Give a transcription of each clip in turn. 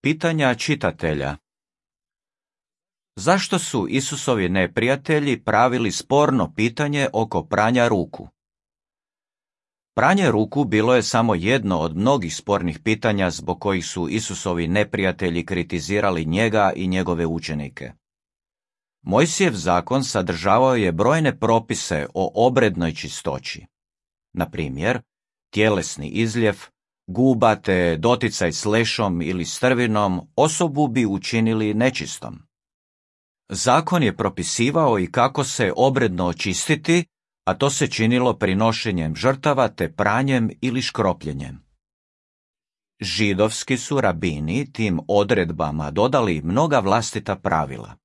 Pitanja čitatelja. Zašto su Isusovi neprijatelji pravili sporno pitanje oko pranja ruku? Pranje ruku bilo je samo jedno od mnogih spornih pitanja zbog kojih su Isusovi neprijatelji kritizirali njega i njegove učenike. Mojsijev zakon sadržavao je brojne propise o obrednoj čistoći. Na primjer, tjelesni izljev, guba te doticaj s lešom ili strvinom osobu bi učinili nečistom. Zakon je propisivao i kako se obredno očistiti, a to se činilo prinošenjem žrtava te pranjem ili škropljenjem. Židovski su rabini tim odredbama dodali mnoga vlastita pravila.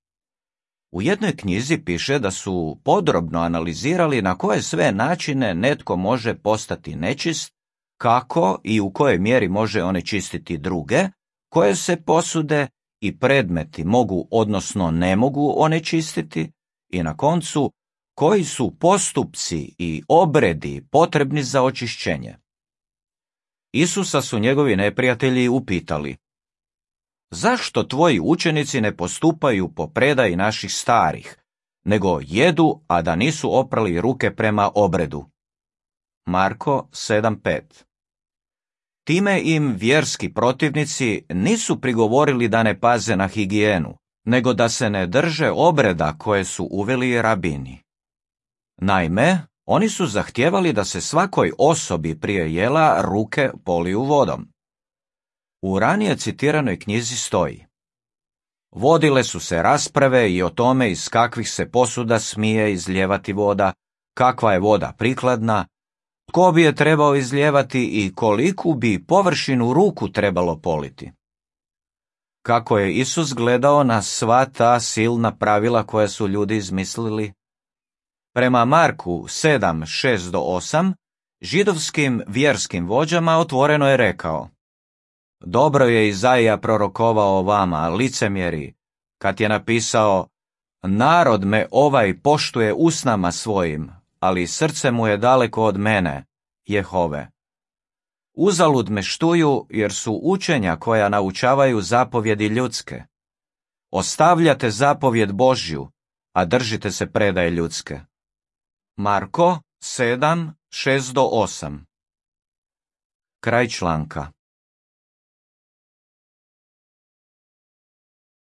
U jednoj knjizi piše da su podrobno analizirali na koje sve načine netko može postati nečist, kako i u kojoj mjeri može onečistiti druge, koje se posude i predmeti mogu odnosno ne mogu onečistiti i na koncu koji su postupci i obredi potrebni za očišćenje. Isusa su njegovi neprijatelji upitali: zašto tvoji učenici ne postupaju po predaji naših starih, nego jedu, a da nisu oprali ruke prema obredu? Marko 7:5. Time im vjerski protivnici nisu prigovorili da ne paze na higijenu, nego da se ne drže obreda koje su uveli rabini. Naime, oni su zahtijevali da se svakoj osobi prije jela ruke poliju vodom. U ranije citiranoj knjizi stoji: vodile su se rasprave i o tome iz kakvih se posuda smije izlijevati voda, kakva je voda prikladna, tko bi je trebao izlijevati i koliku bi površinu ruku trebalo politi. Kako je Isus gledao na sva ta silna pravila koja su ljudi izmislili? Prema Marku 7:6-8, židovskim vjerskim vođama otvoreno je rekao: dobro je Izaija prorokovao o vama, licemjeri, kad je napisao: narod me ovaj poštuje usnama svojim, ali srce mu je daleko od mene, Jehove. Uzalud me štuju, jer su učenja koja naučavaju zapovjedi ljudske. Ostavljate zapovjed Božju, a držite se predaje ljudske. Marko 7:6-8. Kraj članka.